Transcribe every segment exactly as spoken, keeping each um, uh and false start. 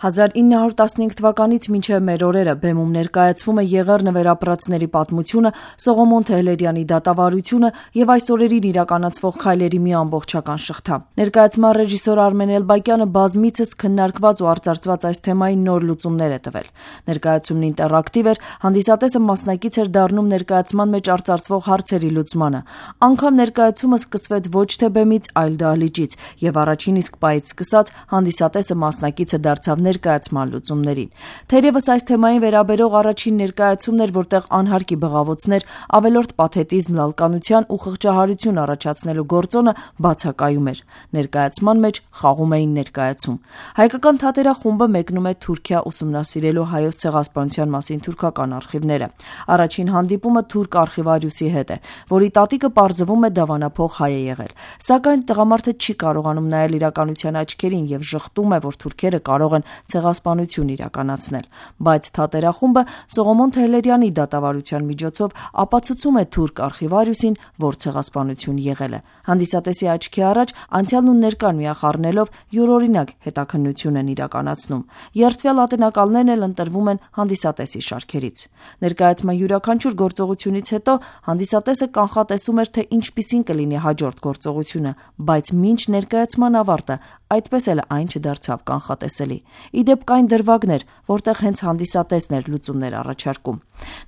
հազար ինը հարյուր տասնհինգ թվականից մինչև մեր օրերը բեմում ներկայացվում է Եղեռնը վերապրածների պատմությունը, Սողոմոն Թեհլերյանի դատավարությունը եւ այս օրերին իրականացվող քայլերի մի ամբողջական շղթա։ Ներկայացման ռեժիսոր Արմեն Էլբակյանը բազմիցս քննարկված ու արծարծված այս թեմային նոր լուծումներ է տվել։ Ներկայացումն ինտերակտիվ էր, հանդիսատեսը մասնակից էր դառնում ներկայացման մեջ արծարծվող հարցերի լուծմանը։ Անգամ ներկայացումը սկսվեց ոչ թե բեմից, այլ դահլիճից, եւ առաջին իսկ պահից սկսած հանդիսատեսը մասնակիցը դարձավ ներկայացման լուծումներին։ Թերևս այս թեմային վերաբերող առաջին ներկայացումն էր, որտեղ անհարկի բղավոցներ, ավելորդ պաթետիզմ, լալկանության ու խղճահարություն առաջացնելու գործոնը բացակայում էր։ Ներկայացման մեջ խաղում էին ներկայացում։ Հայկական թատերախումբը մեկնում է Թուրքիա ուսումնասիրելու հայոց ցեղասպանության մասին թուրքական արխիվները։ Առաջին հանդիպումը թուրք արխիվարիուսի հետ է, որի տատիկը պարզվում է դավանափող հայ է եղել։ Սակայն տղամարդը չի կարողանում նայել իրականության աչքերին եւ ժխտում է, որ թուրքերը կարող են ցեղասպանություն իրականացնել, բայց թատերախումբը Սողոմոն Թեհլերյանի դատավարության միջոցով ապացուցում է թուրք արխիվարիուսին, որ ցեղասպանություն եղել է։ Հանդիսատեսի աչքի առաջ անցյալն ու ներկան միախառնելով յուրօրինակ հետաքննություն են իրականացնում։ Երդվյալ ատենակալներն էլ ընտրվում են հանդիսատեսի շարքերից։ Ներկայացման յուրաքանչյուր գործողությունից հետո հանդիսատեսը կանխատեսում էր, թե ինչպիսին կլինի հաջորդ գործողությունը, բայց մինչ ներկայացման ավարտը այդպես էլ այն չդարձավ կանխատեսելի։ Իդեպ կային դրվագներ, որտեղ հենց հանդիսատեսն էր լուծումներ առաջարկում։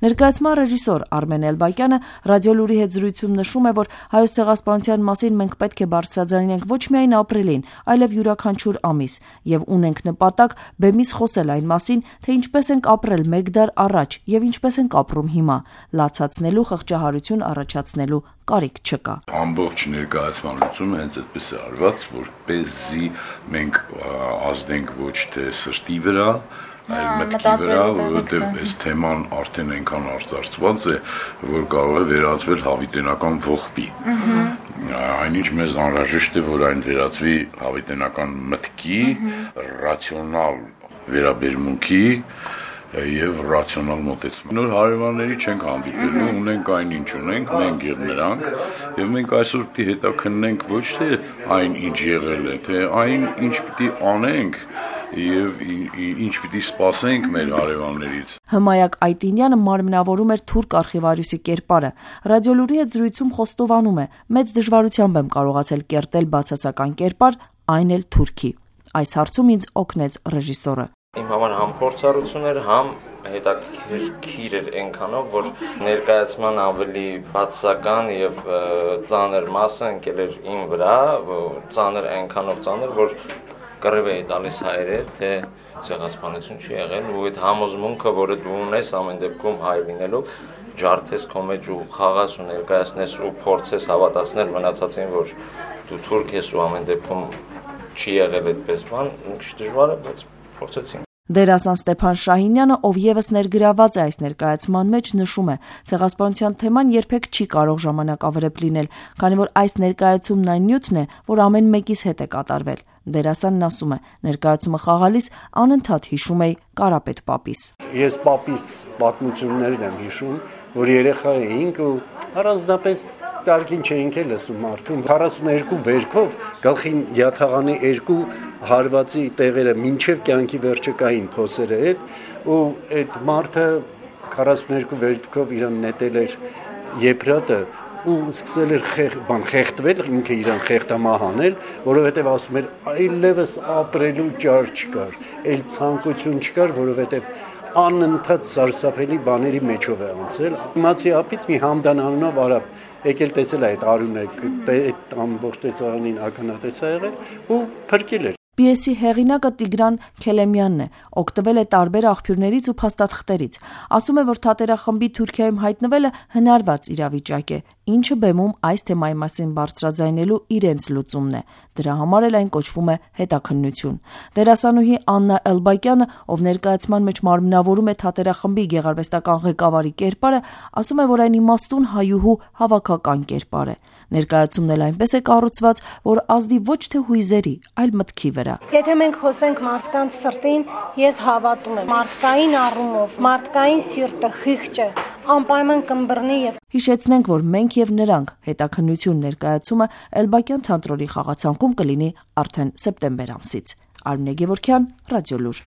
Ներկայացման ռեժիսոր Արմեն Էլբակյանը ռադիոլուրի հետ զրույցում նշում է, որ հայոց ցեղասպանության մասին մենք պետք է բարձրաձայնենք ոչ միայն ապրիլին, այլև յուրաքանչյուր ամիս, եւ ունենք նպատակ բեմից խոսել այն մասին, թե ինչպես ենք ապրել մեկ դար առաջ եւ ինչպես ենք ապրում հիմա, լացացնելու խղճահարություն առաջացնելու կարիք չկա։ Ամբողջ ներկայացման լուծումը հենց այդպես է արված, որպեսզի մենք ազդենք ոչ թե սրտի վրա, այլ մտքի վրա, որովհետև այս թեման արդեն այնքան արծարծված է, որ կարող է վերածվել հավիտենական ողբի։ Այնինչ մեզ անհրաժեշտ է, որ այն վերածվի հավիտենական մտքի, ռացիոնալ վերաբերմունքի եւ ռացիոնալ մոտեցում։ Նոր հարևանների չենք հանդիպելու, ունենք այն ինչ ունենք, մենք եւ նրանք, եւ մենք այսօր պիտի հետաքննենք ոչ թե այն ինչ եղել է, թե այն ինչ պիտի անենք եւ ինչ պիտի սպասենք մեր հարևաններից։ Հմայակ Այտինյանը մարմնավորում էր թուրք արխիվարիուսի կերպարը։ Ռադիոլուրի հետ զրույցում խոստովանում է, մեծ դժվարությամբ եմ կարողացել կերտել բացասական կերպար, այն էլ թուրքի։ Այս հարցում ինձ օգնեց ռեժիսորը։ Իմ համար համ փորձառություն էր, համ հետաքրքիր էր այնքանով, որ ներկայացման ավելի բացասական եւ ծանր մասը ընկել էր իմ վրա, ծանր այնքանով ծանր, որ կռիվ էի տալիս հայերը, թե ցեղասպանություն չի եղել, ու այդ համոզմունքը, որը դու ունես ամեն դեպքում հայ լինելով, ջարդես քո մեջ ու խաղաս ու ներկայացնես ու փորձես հավատացնել մնացածին, որ դու թուրք ես ու ամեն դեպքում չի եղել այդպես բան, մի քիչ դժվար է, բայց փորձեցինք։ Դերասան Ստեփան Շահինյանը, ով եւս ներգրաված է այս ներկայացման մեջ, նշում է, ցեղասպանության թեման երբեք չի կարող ժամանակավրեպ լինել, քանի որ այս ներկայացումն այն նյութն է, որ ամեն մեկիս հետ է կատարվել։ Դերասանն ասում է, ներկայացումը խաղալիս անընդհատ հիշում էի Կարապետ պապիս։ Ես պապիս պատմություններն եմ հիշում, որ երեխա էինք ու առանձնապես տարկին չէինք էլ լսում մարդուն։ քառասունուերկու վերքով գլխին յաթաղանի երկու հարվածի տեղերը մինչև կյանքի վերջը կային փոսերը հետ, ու այդ մարդը քառասունուերկու վերքով իրան նետել էր եփրատը ու սկսել էր խեղ, բան խեղդվել, ինքը իրան խեղդամահանել, որովհետև ասում էր այլևս ապրելու ճար չկար, այլ ցանկություն չկար, որովհետև անընդհատ սարսափելի բաների մեջով է անցել։ Իմացի ապից մի Համդան անունով արաբ եկել տեսել այդ արյունը, այդ ամբողջ տեսարանին ականատես ա եղել ու փրկել էր։ Պիեսի հեղինակը Տիգրան Քելեմյանն է, օգտվել է տարբեր աղբյուրներից ու փաստաթղթերից։ Ասում է, որ թատերախմբի Թուրքիայում հայտնվելը հնարված իրավիճակ է, ինչը բեմում այս թեմայի մասին բարձրաձայնելու իրենց լուծումն է։ Դրա համար էլ այն կոչվում է հետաքննություն։ Դերասանուհի Աննա Էլբակյանը, ով ներկայացման մեջ մարմնավորում է թատերախմբի գեղարվեստական ղեկավարի կերպարը, ասում է, որ այն իմաստուն հայուհու հավաքական կերպար է։ Ներկայացումն էլ այնպես է կառուցված, որ ազդի ոչ թե հույզերի, այլ մտքի վրա։ Եթե մենք խոսենք մարդկանց սրտին, ես հավատում եմ մարդկային առումով, մարդկային սիրտը խիղճը անպայման կմբռնի եւ Հիշեցնենք, որ մենք եւ նրանք հետաքննություն ներկայացումը Էլբակյան թատրոնի խաղացանկում կլինի արդեն սեպտեմբեր ամսից։ Արմինե Գևորգյան, Ռադիոլուր։